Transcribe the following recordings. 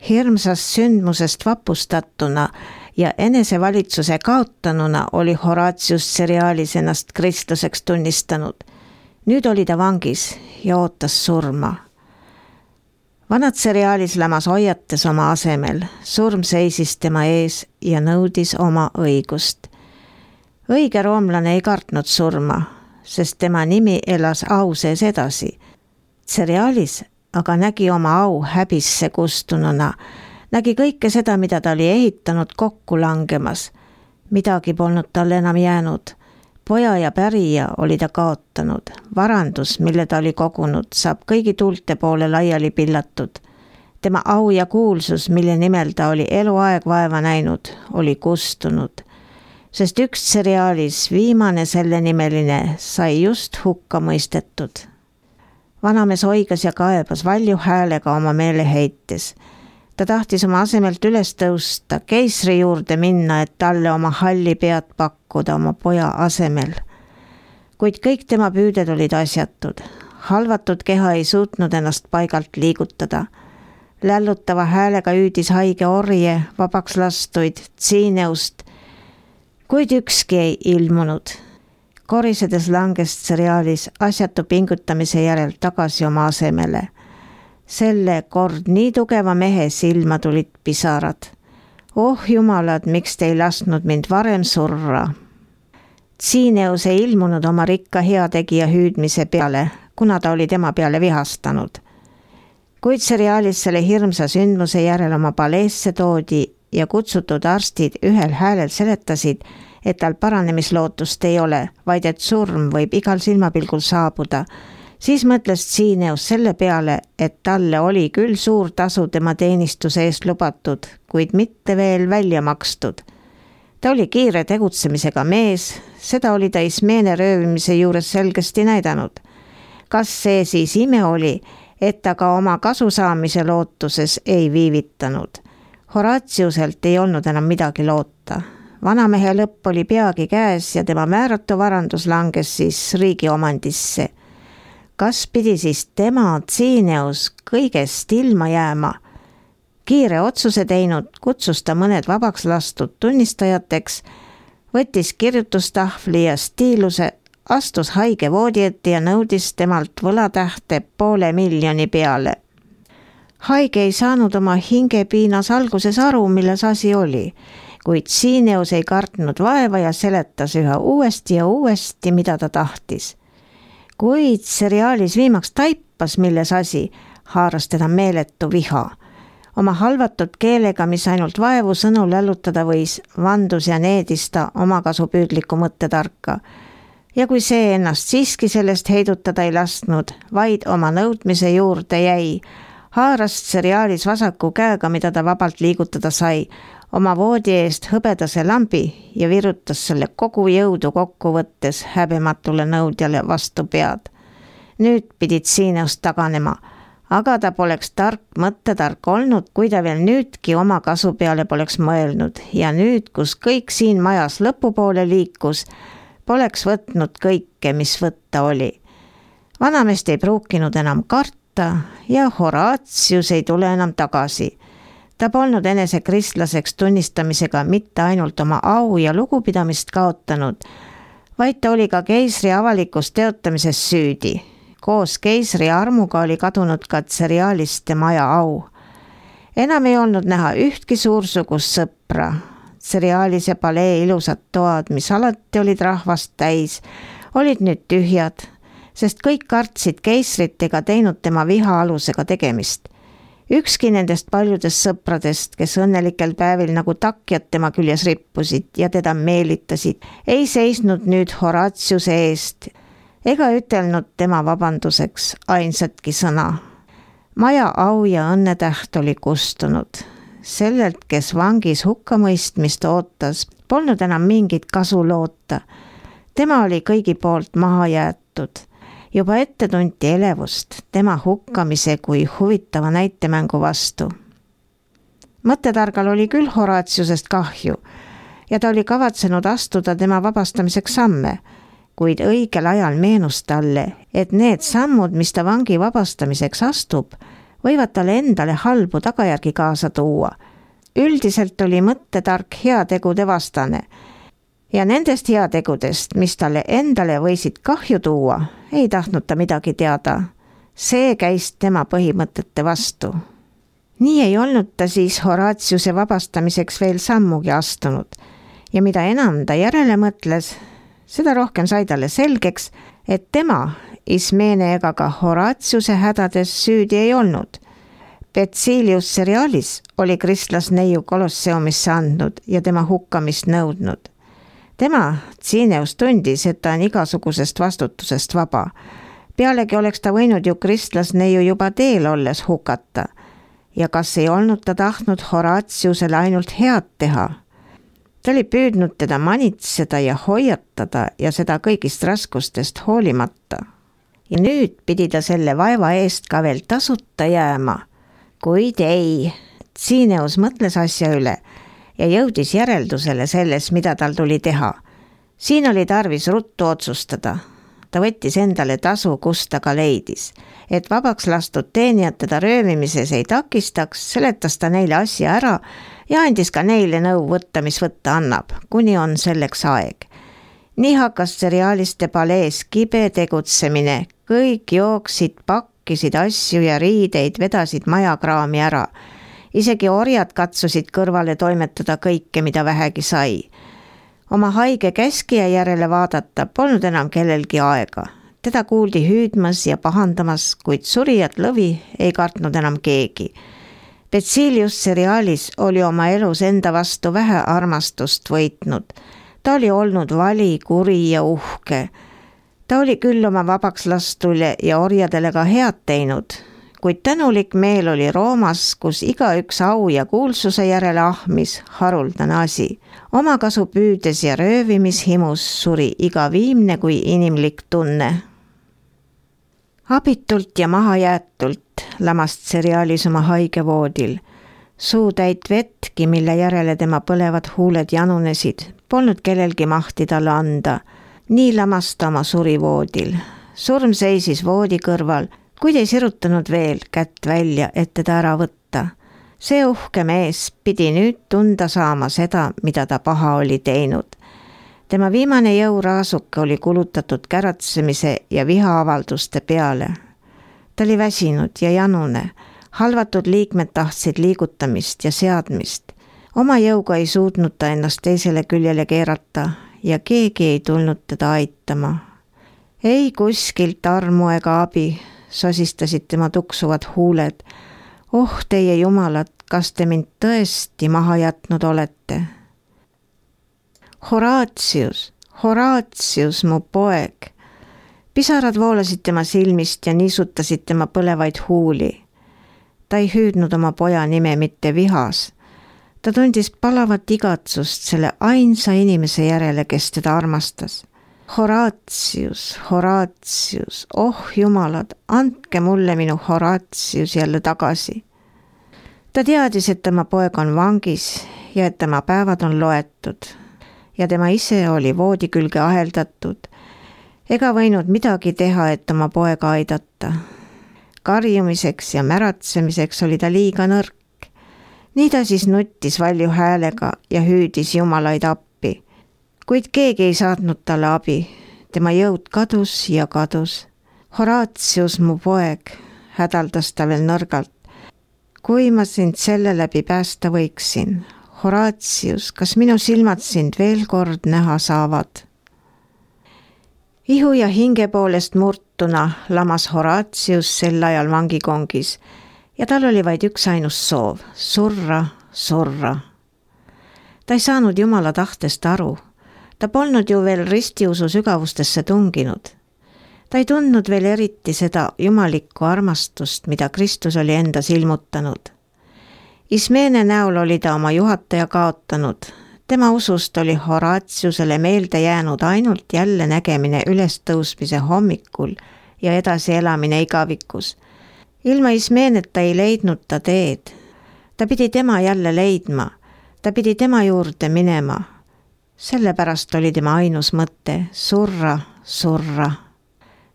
Hirmsast sündmusest vapustatuna ja enesevalitsuse kaotanuna oli Horatius Cerealis ennast kristlaseks tunnistanud. Nüüd oli ta vangis ja ootas surma. Vanad Cerealis lämas hoiates oma asemel, surm seisis tema ees ja nõudis oma õigust. Õige roomlane ei kartnud surma, sest tema nimi elas au sees edasi. Cerealis aga nägi oma au häbisse kustununa, nägi kõike seda, mida ta oli ehitanud, kokku langemas. Midagi polnud talle enam jäänud. Poja ja pärija oli ta kaotanud. Varandus, mille ta oli kogunud, saab kõigi tuulte poole laiali pillatud. Tema au ja kuulsus, mille nimel ta oli eluaeg vaeva näinud, oli kustunud. Sest üks Cerealis, viimane selle nimeline, sai just hukka mõistetud. Vanamees oigas ja kaebas valju häälega oma meele heites. Ta tahtis oma asemelt üles tõusta, keisri juurde minna, et talle oma halli pead pakkuda oma poja asemel. Kuid kõik tema püüded olid asjatud. Halvatud keha ei suutnud ennast paigalt liigutada. Lällutava häälega hüüdis haige orje, vabaks lastuid, Tsiineust, kuid ükski ei ilmunud. Korisedes langes Cerealis asjatu pingutamise järel tagasi oma asemele. Selle kord nii tugeva mehe silma tulid pisarad. Oh jumalad, miks te ei lasknud mind varem surra? Tsiineus ei ilmunud oma rikka heategija hüüdmise peale, kuna ta oli tema peale vihastanud. Kuid Cerealis selle hirmsa sündmuse järel oma paleesse toodi ja kutsutud arstid ühel häälel seletasid, et tal paranemislootust ei ole, vaid et surm võib igal silmapilgul saabuda. Siis mõtles Tsiineus selle peale, et talle oli küll suur tasu tema teenistuse eest lubatud, kuid mitte veel välja makstud. Ta oli kiire tegutsemisega mees, seda oli ta Ismeene röövimise juures selgesti näidanud. Kas see siis ime oli, et ta ka oma kasu saamise lootuses ei viivitanud? Horatiuselt ei olnud enam midagi loota. Vanamehe lõpp oli peagi käes ja tema määratu varandus langes siis riigi omandisse. Kas pidi siis tema, Tsiineus, kõigest ilma jääma? Kiire otsuse teinud, kutsus ta mõned vabaks lastud tunnistajateks, võttis kirjutustahvli ja stiiluse, astus haige voodi ette ja nõudis temalt võlatähte 500,000 peale. Haige ei saanud oma hingepiinas alguses aru, milles asi oli, kuid Tsiineus ei kartnud vaeva ja seletas üha uuesti ja uuesti, mida ta tahtis. Kuid Cerealis viimaks taipas, milles asi, haaras teda meeletu viha. Oma halvatud keelega, mis ainult vaevu sõnu lällutada võis, vandus ja needis ta omakasupüüdliku mõttetarka. Ja kui see ennast siiski sellest heidutada ei lasknud, vaid oma nõudmise juurde jäi, haaras Cerealis vasaku käega, mida ta vabalt liigutada sai, oma voodi eest hõbedase lambi ja virutas selle kogu jõudu kokku võttes häbematule nõudjale vastu pead. Nüüd pidi Tsiineust taganema, aga ta poleks mõttetark olnud, kui ta veel nüüdki oma kasu peale poleks mõelnud ja nüüd, kus kõik siin majas lõpupoole liikus, poleks võtnud kõike, mis võtta oli. Vanamest ei pruukinud enam karta ja Horatius ei tule enam tagasi. Ta polnud enese kristlaseks tunnistamisega mitte ainult oma au ja lugupidamist kaotanud, vaid ta oli ka keisri avalikus teotamises süüdi. Koos keisri armuga oli kadunud ka Cerealiste maja au. Enam ei olnud näha ühtki suursugust sõpra. Cerealise palee ilusad toad, mis alati olid rahvast täis, olid nüüd tühjad, sest kõik kartsid keisrit ega teinud tema viha alusega tegemist. Ükski nendest paljudest sõpradest, kes õnnelikel päevil nagu takjad tema küljes rippusid ja teda meelitasid, ei seisnud nüüd Horatiuse eest ega ütelnud tema vabanduseks ainsatki sõna. Maja au ja õnnetäht oli kustunud. Sellelt, kes vangis hukkamõistmist ootas, polnud enam mingit kasu loota. Tema oli kõigi poolt maha jäetud. Juba ette tunti elevust tema hukkamise kui huvitava näitemängu vastu. Mõttetargal oli küll Horatiusest kahju ja ta oli kavatsenud astuda tema vabastamiseks samme, kuid õigel ajal meenus talle, et need sammud, mis ta vangi vabastamiseks astub, võivad talle endale halbu tagajärgi kaasa tuua. Üldiselt oli mõttetark heategude vastane ja nendest heategudest, mis talle endale võisid kahju tuua, ei tahtnud ta midagi teada. See käis tema põhimõtete vastu. Nii ei olnud ta siis Horatiuse vabastamiseks veel sammugi astunud ja mida enam ta järele mõtles, seda rohkem sai talle selgeks, et tema Ismene ega ka Horatiuse hädades süüdi ei olnud. Betzilius Cerealis oli kristlasneiu Kolosseumisse andnud ja tema hukkamist nõudnud. Tema, Cineus, tundis, et ta on igasugusest vastutusest vaba. Pealegi oleks ta võinud ju kristlasneiu juba teel olles hukata. Ja kas ei olnud ta tahtnud Horatiusele ainult head teha? Ta oli püüdnud teda manitseda ja hoiatada ja seda kõigist raskustest hoolimata. Ja nüüd pidi ta selle vaeva eest ka veel tasuta jääma. Kuid ei, Cineus mõtles asja üle ja jõudis järeldusele selles, mida tal tuli teha. Siin oli tarvis ruttu otsustada. Ta võttis endale tasu, kus ta ka leidis. Et vabaks lastud teenijad teda röövimises ei takistaks, seletas ta neile asja ära ja andis ka neile nõu võtta, mis võtta annab, kuni on selleks aeg. Nii hakkas Cerealiste palees kibe tegutsemine. Kõik jooksid, pakkisid asju ja riideid, vedasid majakraami ära. Isegi orjad katsusid kõrvale toimetada kõike, mida vähegi sai. Oma haige käskija järele vaadata polnud enam kellelgi aega. Teda kuuldi hüüdmas ja pahandamas, kuid surijat lõvi ei kartnud enam keegi. Betzilius Cerealis oli oma elus enda vastu vähe armastust võitnud. Ta oli olnud vali, kuri ja uhke. Ta oli küll oma vabaks lastule ja orjadele ka head teinud, kuid tänulik meel oli Roomas, kus igaüks au ja kuulsuse järele ahmis, haruldane asi. Omakasu püüdes ja röövimishimus suri iga viimne kui inimlik tunne. Abitult ja mahajäetult lamas Cerealis oma haigevoodil. Suutäit vetki, mille järele tema põlevad huuled janunesid, polnud kellelgi mahti talle anda. Nii lamas ta oma surivoodil. Surm seisis voodi kõrval, kuid ei sirutanud veel kätt välja, et teda ära võtta. See uhke mees pidi nüüd tunda saama seda, mida ta paha oli teinud. Tema viimane jõuraasuke oli kulutatud käratsemise ja vihaavalduste peale. Ta oli väsinud ja janune. Halvatud liikmed tahtsid liigutamist ja seadmist. Oma jõuga ei suutnud ta ennast teisele küljele keerata ja keegi ei tulnud teda aitama. Ei kuskilt armu ega abi, sosistasid tema tuksuvad huuled. Oh, teie jumalad, kas te mind tõesti maha jätnud olete? Horatius, Horatius, mu poeg. Pisarad voolasid tema silmist ja niisutasid tema põlevaid huuli. Ta ei hüüdnud oma poja nime mitte vihas. Ta tundis palavat igatsust selle ainsa inimese järele, kes teda armastas. Horatius, Horatius, oh jumalad, andke mulle minu Horatius jälle tagasi. Ta teadis, et tema poeg on vangis ja et tema päevad on loetud ja tema ise oli voodi külge aheldatud ega võinud midagi teha, et oma poega aidata. Karjumiseks ja märatsemiseks oli ta liiga nõrk. Nii ta siis nuttis valju häälega ja hüüdis jumalaid appi. Kuid keegi ei saatnud talle abi. Tema jõud kadus ja kadus. Horatius, mu poeg, hädaldas ta veel nõrgalt. Kui ma sind selle läbi päästa võiksin. Horatius, kas minu silmad sind veel kord näha saavad? Ihu ja hinge poolest murtuna lamas Horatius sel ajal vangikongis ja tal oli vaid üks ainus soov, surra, surra. Ta ei saanud Jumala tahtest aru. Ta polnud ju veel ristiusu sügavustesse tunginud. Ta ei tundnud veel eriti seda jumalikku armastust, mida Kristus oli endas ilmutanud. Ismene näol oli ta oma juhataja kaotanud. Tema usust oli Horatiusele meelde jäänud ainult jälle nägemine ülestõusmise hommikul ja edasi elamine igavikus. Ilma Ismeneta ei leidnud ta teed. Ta pidi tema jälle leidma. Ta pidi tema juurde minema. Sellepärast oli tema ainus mõte surra, surra.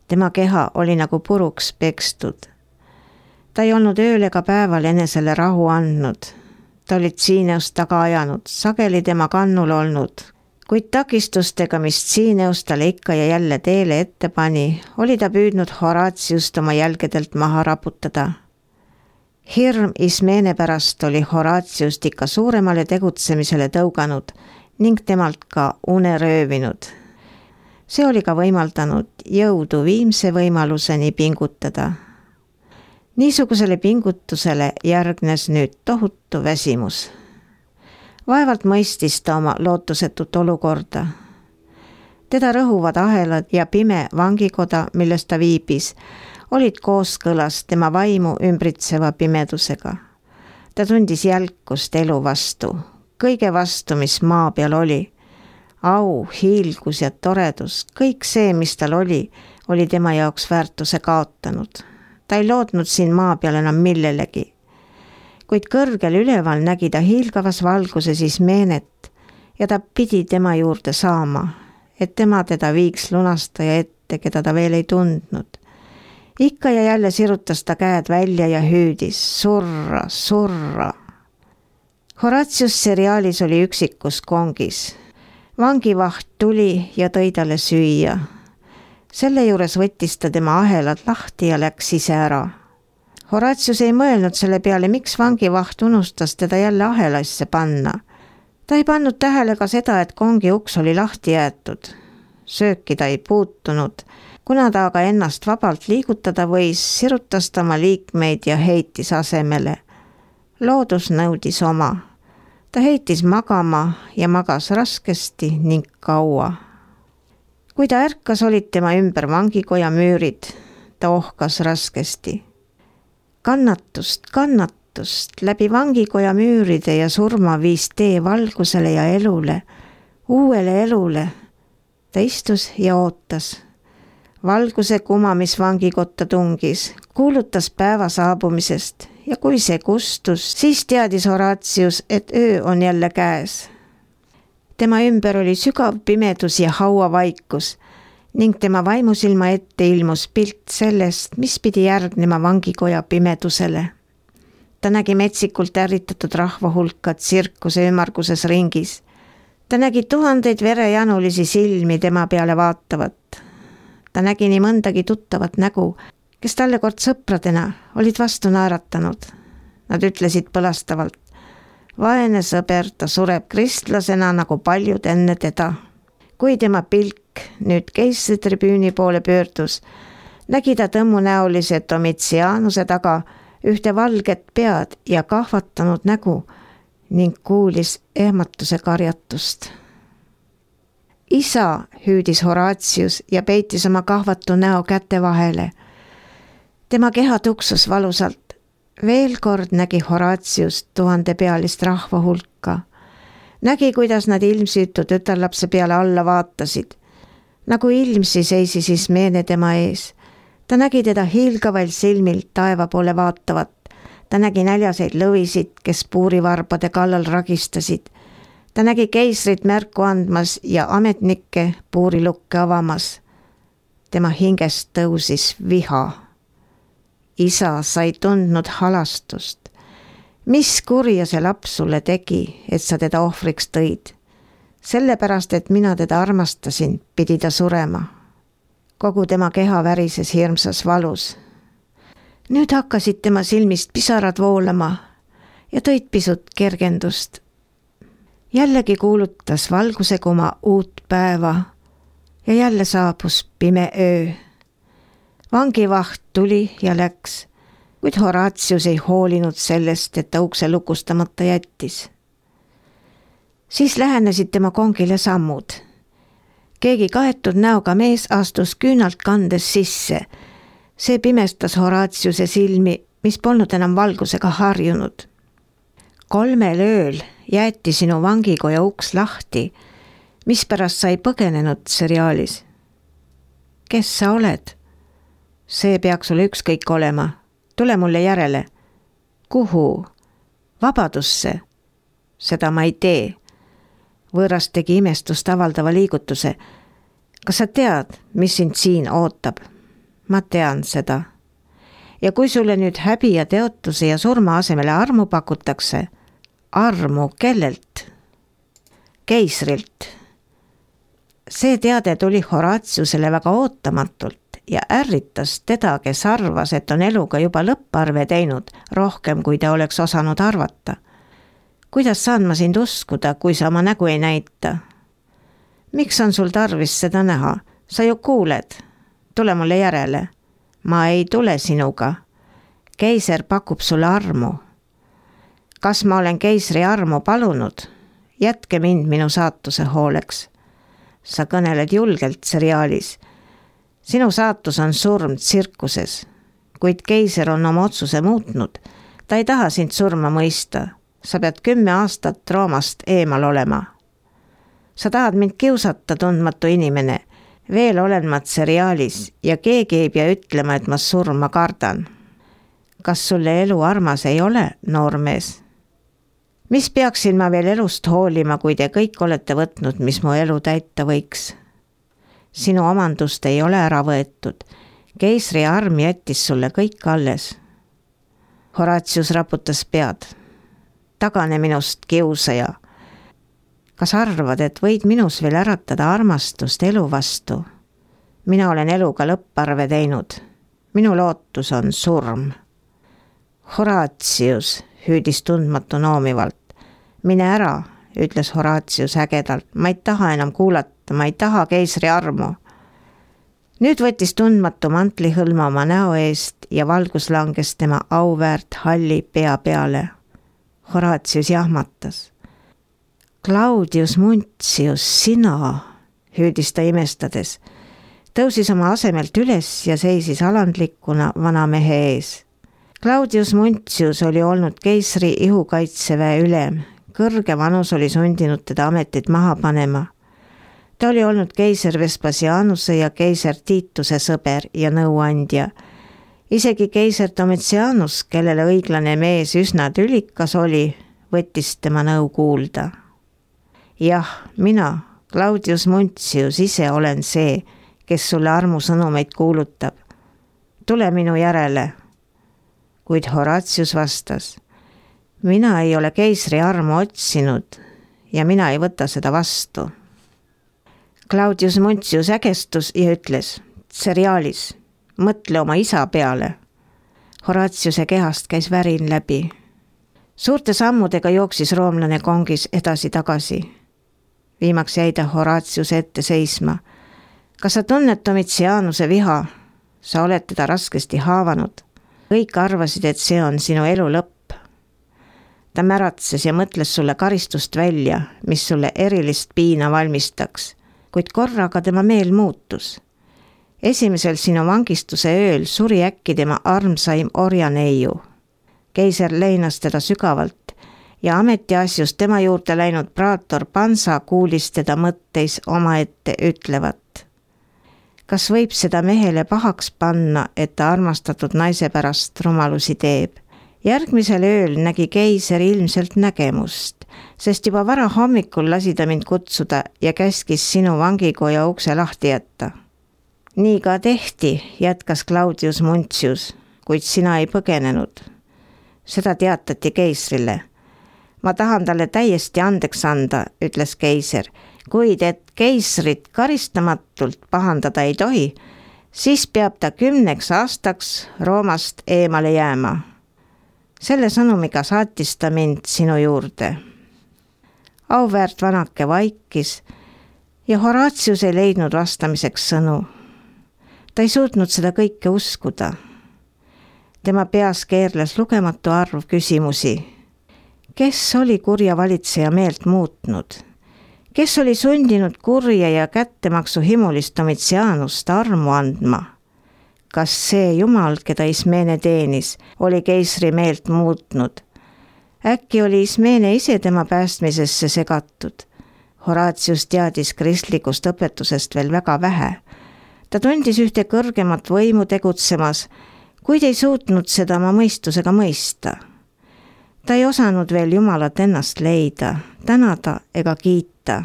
Tema keha oli nagu puruks pekstud. Ta ei olnud ööl ega päeval enesele rahu andnud. Ta olid Tsiineust taga ajanud, sageli tema kannul olnud, kuid takistustega, mis Tsiineus talle ikka ja jälle teele ette pani, oli ta püüdnud Horatiust oma jälgedelt maha raputada. Hirm Ismeene pärast oli Horatiust ikka suuremale tegutsemisele tõuganud ning temalt ka une röövinud. See oli ka võimaldanud jõudu viimse võimaluseni pingutada. Niisugusele pingutusele järgnes nüüd tohutu väsimus. Vaevalt mõistis ta oma lootusetut olukorda. Teda rõhuvad ahelad ja pime vangikoda, milles ta viibis, olid kooskõlas tema vaimu ümbritseva pimedusega. Ta tundis jälkust elu vastu, kõige vastu, mis maa peal oli. Au, hiilgus ja toredus, kõik see, mis tal oli tema jaoks väärtuse kaotanud. Ta ei lootnud siin maa peal enam millelegi. Kuid kõrgel üleval nägi ta hiilgavas valguses Ismeenet ja ta pidi tema juurde saama, et tema teda viiks lunastaja ette, keda ta veel ei tundnud. Ikka ja jälle sirutas ta käed välja ja hüüdis, surra, surra. Horatius seriaalis oli üksikus kongis. Vangivaht tuli ja tõi talle süüa. Selle juures võttis ta tema ahelad lahti ja läks ise ära. Horatius ei mõelnud selle peale, miks vangivaht unustas teda jälle ahelasse panna. Ta ei pannud tähele ka seda, et kongi uks oli lahti jäetud. Sööki ta ei puutunud. Kuna ta aga ennast vabalt liigutada võis, sirutas ta oma liikmeid ja heitis asemele. Loodus nõudis oma. Ta heitis magama ja magas raskesti ning kaua. Kui ta ärkas, olid tema ümber vangikoja müürid. Ta ohkas raskesti. Kannatust läbi vangikoja müüride ja surma viis tee valgusele ja elule, uuele elule. Ta istus ja ootas. Valguse kuma, mis vangikotta tungis, kuulutas päeva saabumisest ja kui see kustus, siis teadis Horatius, et öö on jälle käes. Tema ümber oli sügav pimedus ja hauavaikus ning tema vaimusilma ette ilmus pilt sellest, mis pidi järgnema vangikoja pimedusele. Ta nägi metsikult ärritatud rahva hulka tsirkuse ümmarguses ringis. Ta nägi tuhandeid verejanulisi silmi tema peale vaatavat. Ta nägi nii mõndagi tuttavat nägu, kes talle kord sõpradena olid vastu naeratanud. Nad ütlesid põlastavalt, vaene sõber, ta sureb kristlasena nagu paljud enne teda. Kui tema pilk nüüd keisritribüüni poole pöördus, nägi ta tõmmunäolise Domitianuse taga ühte valget pead ja kahvatanud nägu ning kuulis ehmatuse karjatust. Isa, hüüdis Horatius ja peitis oma kahvatu näo käte vahele. Tema keha tuksus valusalt. Veel kord nägi Horatius 1000 pealist rahva hulka. Nägi, kuidas nad ilmsüütu tütarlapse peale alla vaatasid. Nagu ilmsi seisis Ismeene tema ees. Ta nägi teda hiilgaval silmil taeva poole vaatavat. Ta nägi näljaseid lõvisid, kes puurivarbade kallal ragistasid. Ta nägi keisrit märku andmas ja ametnikke puurilukke avamas. Tema hingest tõusis viha. Isa sai tundnud halastust. Mis kurja see laps sulle tegi, et sa teda ohvriks tõid? Sellepärast, et mina teda armastasin, pidi ta surema. Kogu tema keha värises hirmsas valus. Nüüd hakkasid tema silmist pisarad voolama ja tõid pisut kergendust. Jällegi kuulutas valguse kuma uut päeva ja jälle saabus pime öö. Vangivaht tuli ja läks, kuid Horatius ei hoolinud sellest, et ta ukse lukustamata jättis. Siis lähenesid tema kongile sammud. Keegi kaetud näoga mees astus küünalt kandes sisse. See pimestas Horatiuse silmi, mis polnud enam valgusega harjunud. 3 ööl jäeti sinu vangikoja uks lahti, mispärast sa ei põgenenud seriaalis. Kes sa oled? See peaks sulle ükskõik olema. Tule mulle järele. Kuhu? Vabadusse. Seda ma ei tee. Võõras tegi imestust avaldava liigutuse. Kas sa tead, mis sind siin ootab? Ma tean seda. Ja kui sulle nüüd häbi ja teotuse ja surma asemele armu pakutakse, armu kellelt? Keisrilt. See teade tuli Horatiusele väga ootamatult ja ärritas teda, kes arvas, et on eluga juba lõpparve teinud rohkem, kui ta oleks osanud arvata. Kuidas saan ma sind uskuda, kui sa oma nägu ei näita? Miks on sul tarvis seda näha? Sa ju kuuled. Tule mulle järele. Ma ei tule sinuga. Keiser pakub sulle armu. Kas ma olen keisri armu palunud? Jätke mind minu saatuse hooleks. Sa kõneled julgelt seriaalis. Sinu saatus on surm tsirkuses, kuid keiser on oma otsuse muutnud. Ta ei taha sind surma mõista. Sa pead 10 aastat Roomast eemal olema. Sa tahad mind kiusata, tundmatu inimene. Veel olen ma seriaalis ja keegi ei pea ütlema, et ma surma kardan. Kas sulle elu armas ei ole, noormees? Mis peaksin ma veel elust hoolima, kui te kõik olete võtnud, mis mu elu täita võiks? Sinu omandust ei ole ära võetud. Keisri arm jättis sulle kõik alles. Horatius raputas pead. Tagane minust, kiusaja. Kas arvad, et võid minus veel äratada armastust elu vastu? Mina olen eluga lõpparve teinud. Minu lootus on surm. Horatius, hüüdis tundmatu noomivalt. Mine ära, ütles Horatius ägedalt. Ma ei taha enam kuulata, ma ei taha keisri armu. Nüüd võttis tundmatu mantli hõlma oma näo eest ja valgus langes tema auväärt halli pea peale. Horatius jahmatas. Claudius Muntius, sina, hüüdis ta imestades. Tõusis oma asemelt üles ja seisis alandlikuna vana mehe ees. Claudius Muntius oli olnud keisri ihukaitseväe ülem. Kõrge vanus oli sundinud teda ametit maha panema. Ta oli olnud keiser Vespasianuse ja keiser Tiituse sõber ja nõuandja. Isegi keiser Domitianus, kellele õiglane mees üsna tülikas oli, võttis tema nõu kuulda. Jah, mina, Claudius Muntius, ise olen see, kes sulle armusõnumeid kuulutab. Tule minu järele. Kuid Horatius vastas, mina ei ole keisri armu otsinud ja mina ei võta seda vastu. Claudius Muntius ägestus ja ütles, seriaalis, mõtle oma isa peale. Horatiuse kehast käis värin läbi. Suurte sammudega jooksis roomlane kongis edasi-tagasi. Viimaks jäi ta Horatiuse ette seisma. Kas sa tunned Domitianuse viha? Sa oled teda raskesti haavanud. Kõik arvasid, et see on sinu elu lõpp. Ta märatses ja mõtles sulle karistust välja, mis sulle erilist piina valmistaks, kuid korraga tema meel muutus. Esimesel sinu vangistuse ööl suri äkki tema armsaim orjaneiu. Keiser leinas teda sügavalt ja ametiasjus tema juurde läinud praator Pansa kuulis teda mõtteis omaette ütlevat. Kas võib seda mehele pahaks panna, et ta armastatud naise pärast rumalusi teeb? Järgmisel ööl nägi keiser ilmselt nägemust, sest juba vara hommikul lasi ta mind kutsuda ja käskis sinu vangikoja ukse lahti jätta. Nii ka tehti, jätkas Claudius Muntius, kuid sina ei põgenenud. Seda teatati keisrile. Ma tahan talle täiesti andeks anda, ütles keiser, kuid et keisrit karistamatult pahandada ei tohi, siis peab ta 10 aastaks Roomast eemale jääma. Selle sõnumiga saatis ta mind sinu juurde. Auväärt vanake vaikis ja Horatius ei leidnud vastamiseks sõnu. Ta ei suutnud seda kõike uskuda. Tema peas keerles lugematu arv küsimusi. Kes oli kurja valitseja meelt muutnud? Kes oli sundinud kurja ja kättemaksu himulist Domitianust armu andma? Kas see Jumal, keda Ismene teenis, oli keisri meelt muutnud? Äkki oli Ismene ise tema päästmisesse segatud? Horatius teadis kristlikust õpetusest veel väga vähe. Ta tundis ühte kõrgemat võimu tegutsemas, kuid ei suutnud seda oma mõistusega mõista. Ta ei osanud veel Jumalat ennast leida, tänada ega kiita.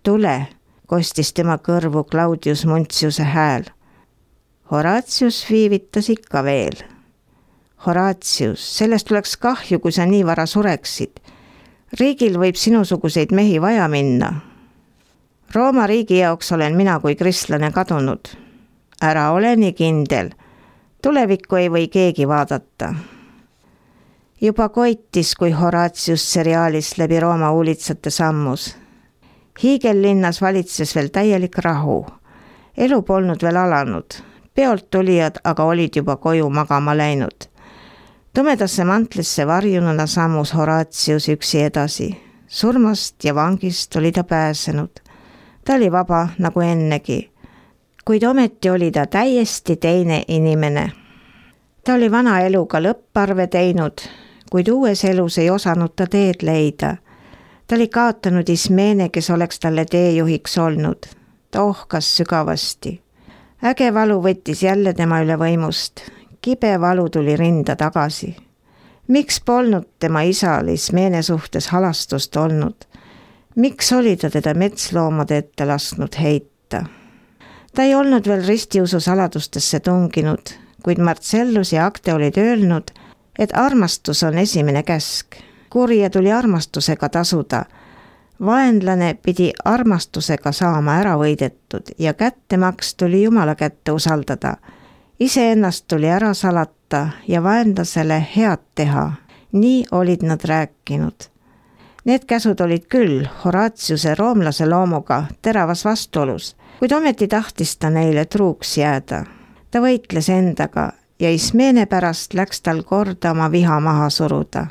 Tule, kostis tema kõrvu Claudius Muntiuse hääl. Horatius viivitas ikka veel. Horatius, sellest oleks kahju, kui sa nii vara sureksid. Riigil võib sinusuguseid mehi vaja minna. Rooma riigi jaoks olen mina kui kristlane kadunud. Ära ole nii kindel. Tulevikku ei või keegi vaadata. Juba koitis, kui Horatius seriaalis läbi Rooma uulitsate sammus. Hiigellinnas valitses veel täielik rahu. Elu polnud veel alanud. Peolt tulijad aga olid juba koju magama läinud. Tumedasse mantlisse varjununa sammus Horatius üksi edasi. Surmast ja vangist oli ta pääsenud. Ta oli vaba nagu ennegi. Kuid ometi oli ta täiesti teine inimene. Ta oli vana eluga lõpparve teinud, kuid uues elus ei osanud ta teed leida. Ta oli kaotanud Ismeene, kes oleks talle teejuhiks olnud. Ta ohkas sügavasti. Äge valu võttis jälle tema üle võimust. Kibe valu tuli rinda tagasi. Miks polnud tema isal Ismeene suhtes halastust olnud? Miks oli ta teda metsloomade ette lasknud heita? Ta ei olnud veel ristiusu saladustesse tunginud, kuid Marcellus ja Acte olid öelnud, et armastus on esimene käsk. Kurja tuli armastusega tasuda. Vaenlane pidi armastusega saama ära võidetud ja kättemaks tuli Jumala kätte usaldada. Iseennast tuli ära salata ja vaenlasele head teha. Nii olid nad rääkinud. Need käsud olid küll Horatiuse roomlase loomuga teravas vastuolus, kuid ometi tahtis ta neile truuks jääda. Ta võitles endaga ja Ismeene pärast läks tal korda oma viha maha suruda.